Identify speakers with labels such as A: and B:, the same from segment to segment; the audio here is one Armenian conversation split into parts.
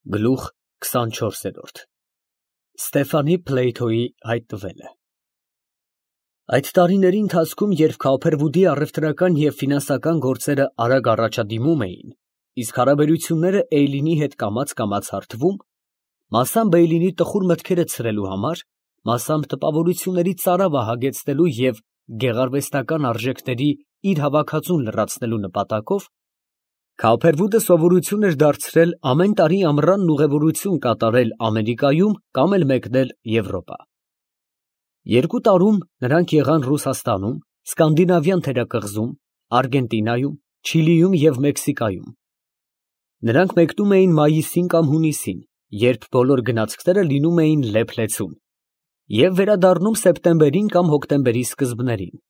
A: Գլուխ 24 Ստեֆանի Փլեյթոյի հայտնվելը Այդ տարիների ընթացքում, երբ Քոփերվուդի առևտրական և ֆինանսական գործերը արագ առաջադիմում էին, իսկ հարաբերությունները Էյլինի հետ կամաց հարթվում, մասամբ Էյլինի տխուր մտքերը ցրելու համար, մասամբ տպավորությունների ծարավը հագեցնելու և գեղարվեստական արժեքների իր հավաքածուն լրացնելու նպատակով, Քոփերվուդը սովորություն էր դարձրել ամեն տարի ամռանն ուղևորություն կատարել Ամերիկայում կամ էլ մեկնել Եվրոպա։ 2 տարում նրանք եղան Ռուսաստանում, Սկանդինավյան թերակղզում, Արգենտինայում, Չիլիում և Մեքսիկայում։ Նրանք մեկնում էին մայիսին կամ հունիսին, երբ բոլոր գնացքները լինում էին լեփ-լեցուն, և վերադառնում սեպտեմբերին կամ հոկտեմբերի սկզբներին։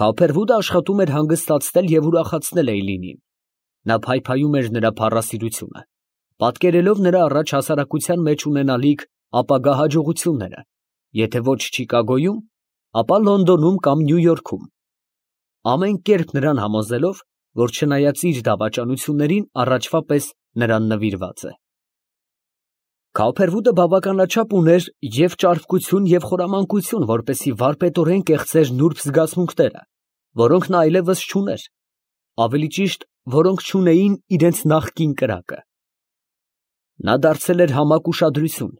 A: Քոփերվուդը աշխատում էր հանգստացնել և ուրախացնել Էյլինին։ Նա փայփայում էր նրա փառասիրությունը, պատկերելով նրա առաջ հասարակության մեջ ունենալիք ապագա հաջողությունները, եթե ոչ Չիկագոյում, ապա Լոնդոնում կամ Նյու Յորքում, ամեն կերպ նրան համոզելով, որ չնայած իր դավաճանություններին, առաջվա պես նրան նվիրված է։ Քոփերվուդը բավականաչափ ուներ և ճարպկություն և խորամանկություն, որպեսզի վարպետորեն կեղծեր նուրբ զգացմունքները, որոնք նա այլևս չուներ, ավելի ճիշտ, որոնք չունեին իրենց նախկին կրակը։ Նա դարձել էր համակ ուշադրություն,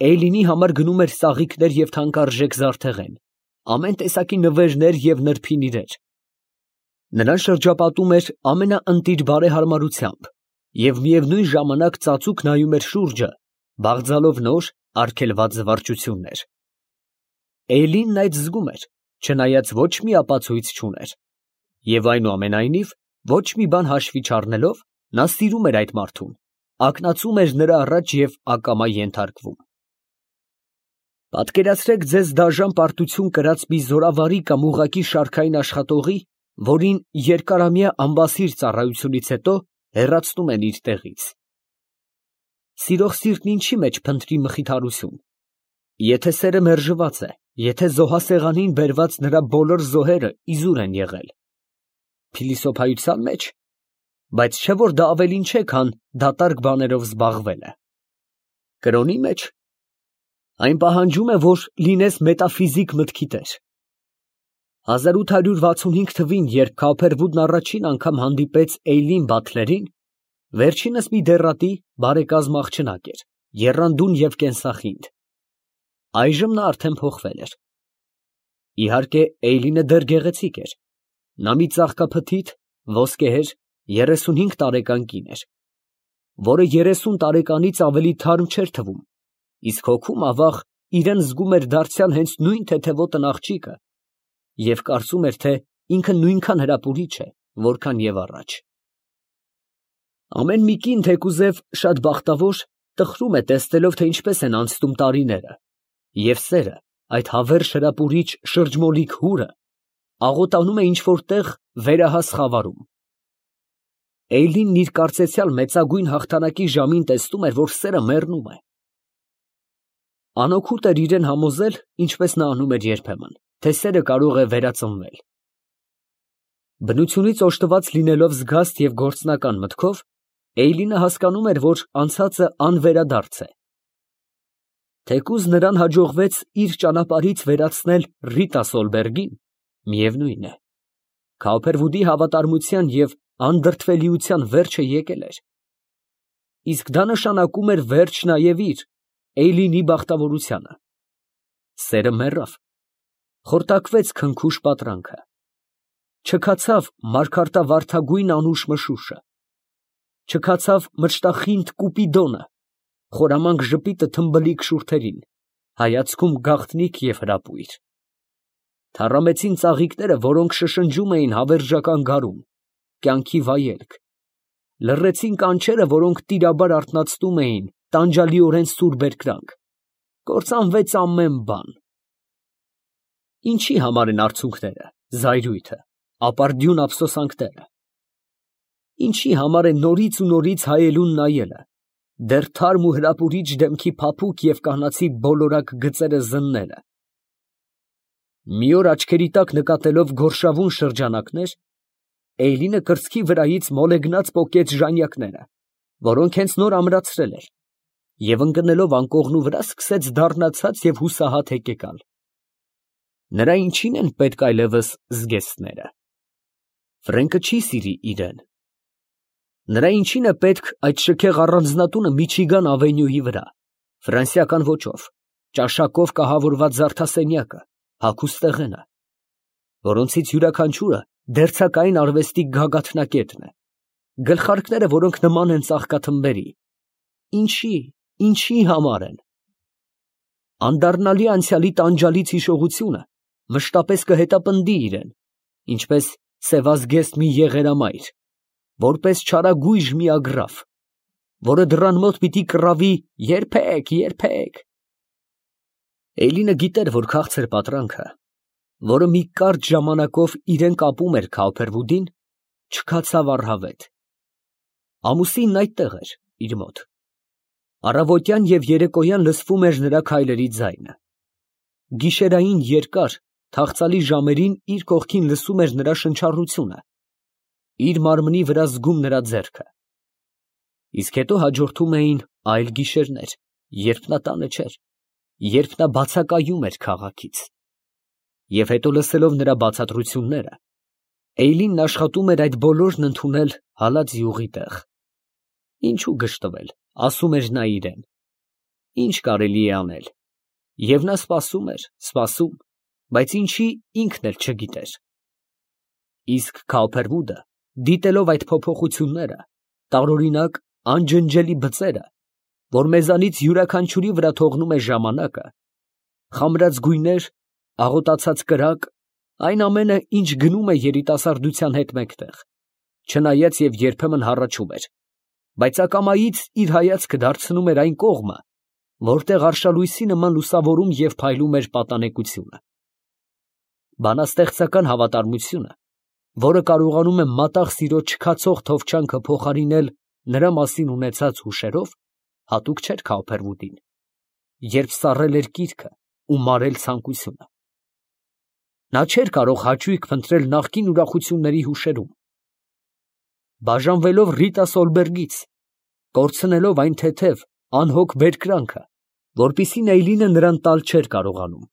A: Էյլինի համար գնում էր ծաղիկներ և թանկարժեք զարդեղեն, ամեն տեսակի նվերներ և նրբին իրեր։ Նրան շրջապատում էր ամենաընտիր բարեհարմարությամբ և միևնույն ժամանակ ծածուկ նայում էր շուրջը, բաղձալով նոր, արգելված զվարճություններ։ Էյլինն այդ զգում էր, չնայած ոչ մի ապացույց չուներ, և այնուամենայնիվ, ոչ մի բան հաշվի չառնելով, նա սիրում էր այդ մարդուն, ակնածում էր նրա առաջ և ակամա ենթարկվում։ Պատկերացրեք ձեզ դաժան պարտություն կրած մի զորավարի կամ ուղղակի շարքային աշխատողի, որին երկարամյա անբասիր ծառայությունից հետո հեռացնում են իր տեղից։ Սիրող սիրտն ինչի մեջ փնտրի մխիթարություն, եթե սերը մերժված է, եթե զոհասեղանին բերված նրա բոլոր զոհերը իզուր են եղել։ Փիլիսոփայության մեջ, բայց չէ՞ որ դա ավելին չէ, քան դատարկ բաներով զբաղվելը։ Կրոնի մեջ, այն պահանջում է, որ լինես մետաֆիզիկ մտքի տեր։ 1865 թվին, երբ Քոփերվուդն առաջին անգամ հանդիպեց Էյլին Բաթլերին, վերջինս մի դեռատի, բարեկազմ աղջնակ էր, եռանդուն և կենսախինդ։ Այժմ նա արդեն փոխվել էր։ Իհարկե, Էյլինը դեռ գեղեցիկ էր։ Նա մի ծաղկափթիթ, ոսկեհեր, 35 տարեկան կին էր, որը 30 տարեկանից ավելի թարմ չէր թվում, իսկ հոգում, ավաղ, իրան զգում էր դարձյալ հենց նույն թեթևոտն աղջիկը և կարծում էր, թե ինքը նույնքան հրապուրիչ է, որքան և առաջ։ Ամեն մի կին, թեկուզև շատ բախտավոր, տխրում է, տեսնելով, թե ինչպես են անցնում տարիները, և սերը, այդ հավերժ հրապուրիչ շրջմոլիկ հուրը, աղոտանում է ինչ֊որ տեղ վերահաս խավարում։ Էյլինն իր կարծեցյալ մեծագույն հաղթանակի ժամին տեսնում էր, որ սերը մեռնում է։ Անօգուտ էր իրան համոզել, ինչպես նա անում էր երբեմն, թե սերը կարող է վերածնվել։ Բնությունից օժտված լինելով զգաստ և գործնական մտքով, Էյլինը հասկանում էր, որ անցածը անվերադարձ է։ Թեկուզ նրան հաջողվեց իր ճանապարհից վերացնել Ռիտա Սոլբերգին, միևնույն է, Քոփերվուդի հավատարմության և անդրդվելիության վերջը եկել էր։ Իսկ դա նշանակում էր վերջ նաև իր, Էյլինի բախտավորությանը։ Սերը մեռավ, խորտակվեց քնքուշ պատրանքը, չքացավ մարգարտավարդագույն անուշ մշուշը, չքացավ մրճտախինդ Կուպիդոնը, խորամանկ ժպիտը թմբլիկ շուրթերին, հայացքում գաղտնիք և հրապույր։ Թառամեցին ծաղիկները, որոնք շշնջում էին հավերժական գարուն, կյանքի վայելք, լռեցին կանչերը, որոնք տիրաբար արթնացնում էին տանջալիորեն սուր բերկրանք, կործանվեց ամեն բան։ Ինչի համար են արցունքները, զայրույթը, ապարդյուն ափսոսանքները։ Ինչի համար է նորից ու նորից հայելուն նայելը, դեռ թարմ ու հրապուրիչ դեմքի փափուկ և կանացի բոլորակ գծերը զննելը։ Մի օր աչքերի տակ նկատելով գորշավուն շրջանակներ, Էյլինը կրծքի վրայից մոլեգնած պոկեց ժանյակները որոնք հենց նոր ամրացրել էր, և ընկնելով անկողնու վրա սկսեց դառնացած և հուսահատ հեկեկալ։ Նրա ինչի՞ն են պետք այլևս զգեստները։ Ֆրենկը չի սիրի իրեն։ Նրա ինչի՞ն է պետք այդ շքեղ առանձնատունը Միչիգան ավենյուի վրա, ֆրանսիական ոճով, ճաշակով կահավորված զարդասենյակը, հագուստ տեղենը, որոնցից յուրաքանչյուրը դերձակային արվեստի գագաթնակետն է, գլխարկները, որոնք նման են ծաղկաթմբերի, ինչի համար են։ Անդառնալի անցյալի տանջալից հիշողությունը մշտապես կհետապնդի իրեն, ինչպես սևազգեստ մի եղերամայր, որպես չարագույժ մի ագռավ, որը դռան մոտ պիտի կռավի երբեք։ Էյլինը գիտեր, որ քաղցր պատրանքը, որը մի կարճ ժամանակով իրեն կապում էր Քաուփերվուդին, չքացավ առհավետ։ Ամուսինն այդտեղ էր, իր մոտ։ Առավոտյան և երեկոյան լսվում էր նրա քայլերի ձայնը։ Գիշերային երկար, թախծալի ժամերին իր կողքին լսում էր նրա շնչառությունը, իր մարմնի վրա զգում նրա ձեռքը։ Իսկ հետո հաջորդում էին այլ գիշերներ, երբ նա տանը չէր, երբ նա բացակայում էր քաղաքից։ Եվ հետո լսելով նրա բացատրությունները, Էյլինն աշխատում էր այդ բոլորն ընդունել հալած յուղի տեղ։ Ինչու գժտվել, ասում էր նա իրեն։ Ինչ կարելի է անել։ Եվ նա սպասում, բայց ինչի ինքն էլ չգիտեր։ Իսկ Քաուփերվուդը, դիտելով այդ փոփոխությունները, տարօրինակ, անջնջելի բծերը, որ մեզանից յուրաքանչյուրի վրա թողնում է ժամանակը, խամրած գույներ, աղոտացած կրակ, այն ամենը, ինչ գնում է երիտասարդության հետ մեկտեղ, չնայած և երբեմն հառաչում էր, բայց ակամայից իր հայացքը դարձնում էր այն կողմը, որտեղ արշալույսի նման լուսավորում և փայլում էր պատանեկությունը։ Բանաստեղծական հավատարմությունը, որը կարողանում է մատաղ սիրո չքացող թովչանքը փոխարինել նրա մասին ունեցած հուշերով, հատուկ չէր Քաուփերվուդին, երբ սառել էր կիրքը ու մարել ցանկությունը։ Նա չէր կարող հաճույք փնտրել նախկին ուրախությունների հուշերում։ Բաժանվելով Ռիտա Սոլբերգից, կորցնելով այն թեթև, անհոգ բերկրանքը, որպիսին Էյլինը նրան տալ չէր կարողանում,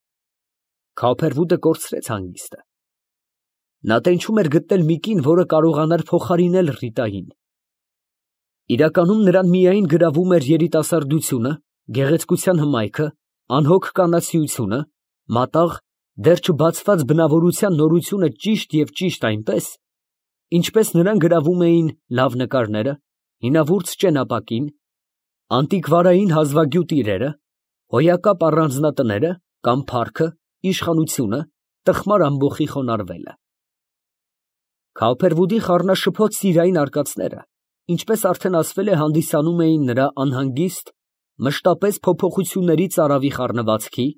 A: Քաուփերվուդը կորցրեց հանգիստը։ Նա տենչում էր գտնել մի կին, որը կարողանար փոխարինել Ռիտային։ Իրականում նրան միայն գրավում էր երիտասարդությունը, գեղեցկության հմայքը, անհոգ կանացիությունը, մատաղ, դեռ չբացված բնավորության նորությունը ճիշտ այնպես, ինչպես նրան գրավում էին լավ նկարները, հինավուրց ճենապակին, անտիկվարային հազվագյուտ իրերը, հոյակապ առանձնատները կամ փառքը, իշխանությունը, տխմար ամբոխի խոնարհվելը։ Քաուփերվուդի խառնաշփոթ սիրային արկածները, ինչպես արդեն ասվել է, հանդիսանում էին նրա անհանգիստ, մշտապես փոփոխությունների ծարավի խառնվածքի,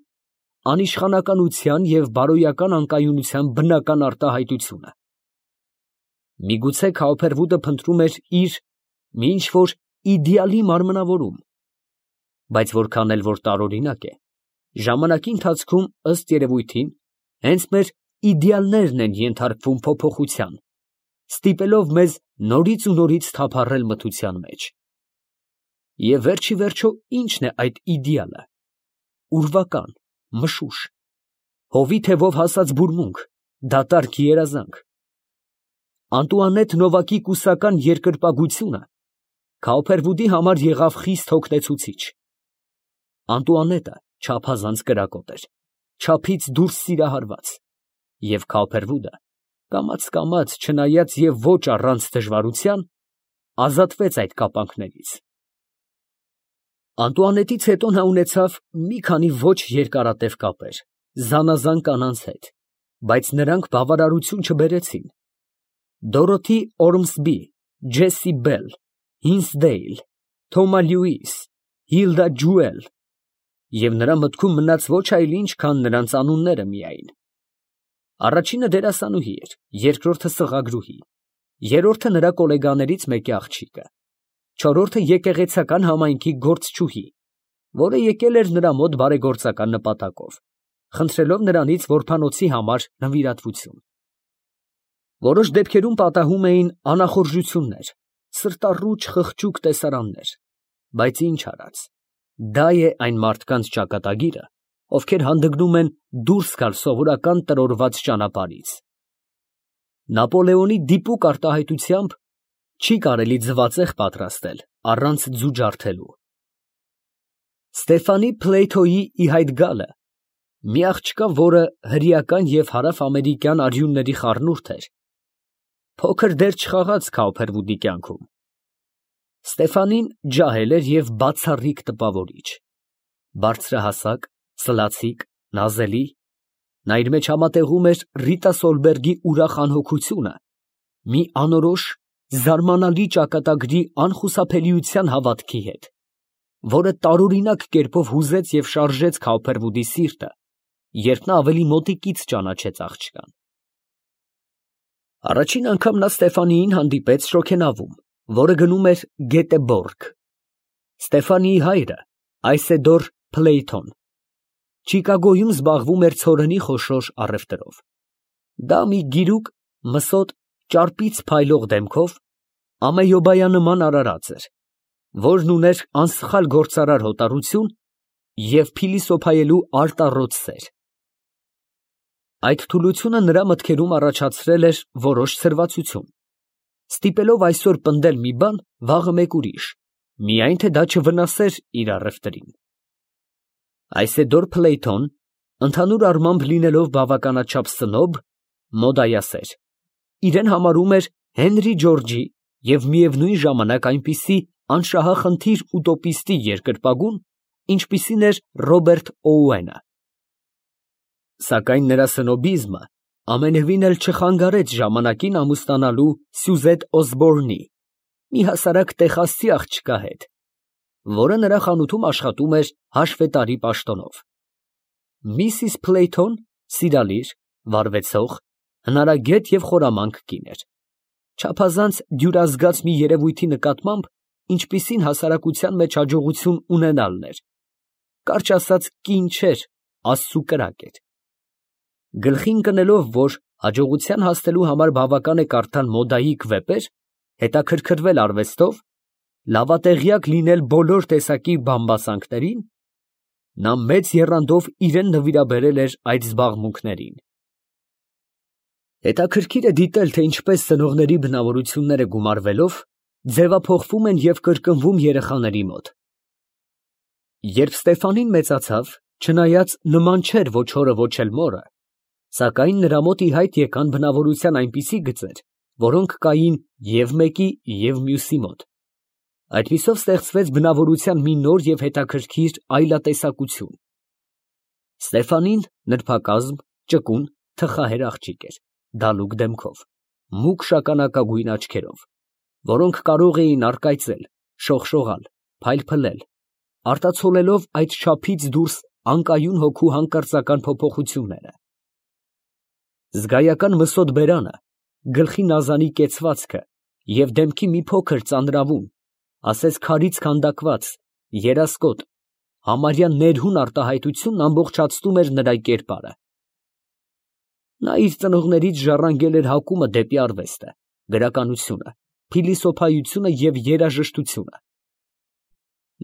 A: անիշխանականության և բարոյական անկայունության բնական արտահայտությունը։ Միգուցե Քաուփերվուդը փնտրում էր իր մի ինչ֊որ իդեալի մարմնավորում, բայց որքան էլ որ տարօրինակ է, ժամանակի ընթացքում, ըստ երևույթին, հենց մեր իդեալներն են ենթարկվում փոփոխության, ստիպելով մեզ նորից ու նորից թափառել մթության մեջ։ Եվ վերջիվերջո ի՞նչն է այդ իդեալը։ Ուրվական, մշուշ, հովի թևով հասած բուրմունք, դատարկ երազանք։ Անտուանետ Նովակի կուսական երկրպագությունը Քաուփերվուդի համար եղավ խիստ հոգնեցուցիչ։ Անտուանետը չափազանց կրակոտ էր, չափից դուրս սիրահարված, և Քաուփերվուդը կամաց, չնայած և ոչ առանց դժվարության, ազատվեց այդ կապանքներից։ Անտուանետից հետո նա ունեցավ մի քանի ոչ երկարատև կապեր զանազան կանանց հետ, բայց նրանք բավարարություն չբերեցին։ Դորոթի Օրմսբի, Ջեսսի Բել, Հինսդեյլ, Թոմա Լյուիս, Հիլդա Ջուել, և նրա մտքում մնաց ոչ այլ ինչ, քան նրանց անունները միայն։ Առաջինը դերասանուհի էր, երկրորդը սղագրուհի, երրորդը նրա գոլեգաներից մեկի աղջիկը, չորրորդը եկեղեցական համայնքի գործչուհի, որը եկել էր նրա մոտ բարեգործական նպատակով, խնդրելով նրանից որբանոցի համար նվիրատվություն։ Որոշ դեպքերում պատահում էին անախորժություններ, սրտառուչ խղճուկ տեսարաններ, բայց ինչ արած, դա է այն մարդկանց ճակատագիրը, ովքեր հանդգնում են դուրս գալ սովորական տրորված ճանապարհից։ Նապոլեոնի դիպուկ արտահայտությամբ չի կարելի ձվածեղ պատրաստել առանց ձու ջարդելու։ Ստեֆանի Փլեյթոյի ի հայտ գալը մի աղջկա, որը հրեական և հարավ֊ամերիկյան արյունների խառնուրդ էր, փոքր դեր չխաղաց Քաուփերվուդի կյանքում։ Ստեֆանին ջահել էր և բացառիկ տպավորիչ, բարձրահասակ, սլացիկ, նազելի, նա իր մեջ համատեղում էր Ռիտա Սոլբերգի ուրախ անհոգությունը մի անորոշ, զարմանալի ճակատագրի անխուսափելիության հավատքի հետ, որը տարօրինակ կերպով հուզեց և շարժեց Քաուփերվուդի սիրտը, երբ նա ավելի մոտիկից ճանաչեց աղջկան։ Առաջին անգամ նա Ստեֆանիին հանդիպեց շոգենավում, որը գնում էր Գետեբորգ։ Ստեֆանիի հայրը Այսեդոր Փլեյթոն Չիկագոյում զբաղվում էր ցորենի խոշոր առևտրով։ Դա մի գիրուկ, մսոտ, ճարպից փայլող դեմքով, ամեյոբայանման արարած էր, որն ուներ անսխալ գործարար հոտառություն և փիլիսոփայելու արտառոց սեր։ Այդ թուլությունը նրա մտքերում առաջացրել էր որոշ սրվածություն, ստիպելով այսօր պնդել մի բան, վաղը մեկ ուրիշ, միայն թե դա չվնասեր իր առևտրին։ Այսեդոր Փլեյթոն, ընդհանուր առմամբ լինելով բավականաչափ սնոբ, մոդայասեր, իրեն համարում էր Հենրի Ջորջի և միևնույն ժամանակ այնպիսի անշահախնդիր ուտոպիստի երկրպագուն, ինչպիսին էր Ռոբերտ Օուենը։ Սակայն նրա սնոբիզմը ամենևին էլ չխանգարեց ժամանակին ամուսնանալու Սյուզետ Օսբորնի, մի հասարակ տեխասցի աղջկա հետ, որը նրա խանութում աշխատում էր հաշվետարի պաշտոնով։ Միսիս Փլեյթոն սիրալիր, վարվեցող, հնարագետ և խորամանկ կին էր, չափազանց դյուրազգաց մի երևույթի նկատմամբ, ինչպիսին հասարակության մեջ հաջողություն ունենալն էր, կարճ ասած կին չէր, աստծու կրակ էր։ Գլխին կնելով, որ հաջողության հասնելու համար բավական է կարդալ մոդայիկ վեպեր, հետաքրքրվել արվեստով, լավատեղյակ լինել բոլոր տեսակի բամբասանքներին, նա մեծ եռանդով իրան նվիրաբերել էր այդ զբաղմունքներին։ Հետաքրքիր է դիտել, թե ինչպես ծնողների բնավորությունները գումարվելով, ձևափոխվում են և կրկնվում երեխաների մոտ։ Երբ Ստեֆանին մեծացավ, չնայած նման չէր ոչ հորը, ոչ էլ մորը, սակայն նրա մոտ ի հայտ եկան բնավորության այնպիսի գծեր, որոնք կային և մեկի, և մյուսի մոտ։ Այդպիսով ստեղծվեց բնավորության մի նոր և հետաքրքիր այլատեսակություն։ Ստեֆանին նրբակազմ, ճկուն, թխահեր աղջիկ էր, դալուկ դեմքով, մուգ շագանակագույն աչքերով, որոնք կարող էին առկայծել, շողշողալ, փայլփլել, արտացոլելով այդ չափից դուրս անկայուն հոգու հանկարծական փոփոխությունները։ Զգայական մսոտ բերանը, գլխի նազանի կեցվածքը և դեմքի մի փոքր ծանրավուն, ասես քարից քանդակված, երասկոտ, համարյա ներհուն արտահայտությունն ամբողջացնում էր նրա կերպարը։ Նա իր ծնողներից ժառանգել էր հակումը դեպի արվեստը, գրականությունը, փիլիսոփայությունը և երաժշտությունը։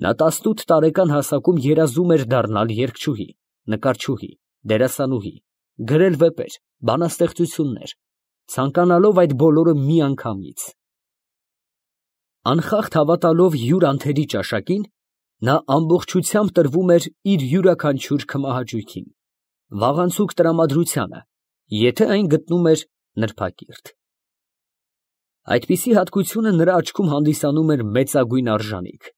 A: Նա 18 տարեկան հասակում երազում էր դառնալ երգչուհի, նկարչուհի, դերասանուհի, գրել վեպեր, բանաստեղծություններ, ցանկանալով այդ բոլորը միանգամից։ Անխախտ հավատալով յուր անթերի ճաշակին, նա ամբողջությամբ տրվում էր իր յուրաքանչյուր քմահաճույքին, վաղանցուկ տրամադրությանը, եթե այն գտնում էր նրբակիրթ։ Այդպիսի հատկությունը նրա աչքում հանդիսանում էր մեծագույն արժանիք։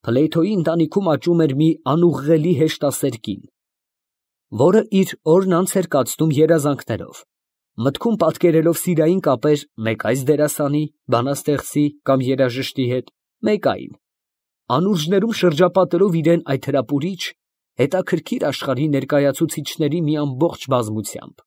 A: Փլեյթոյի ընտանիքում աճում էր մի անուղղելի հեշտասեր կին, որը իր օրն անց էր կացնում երազանքներով, մտքում պատկերելով սիրային կապեր մեկ այս դերասանի, բանաստեղծի կամ երաժշտի հետ, մեկ այն, անուրջներում շրջապատելով իրան այդ հրապուրիչ, հետաքրքիր աշխարհի ներկայացուցիչների մի ամբողջ բազմությամբ։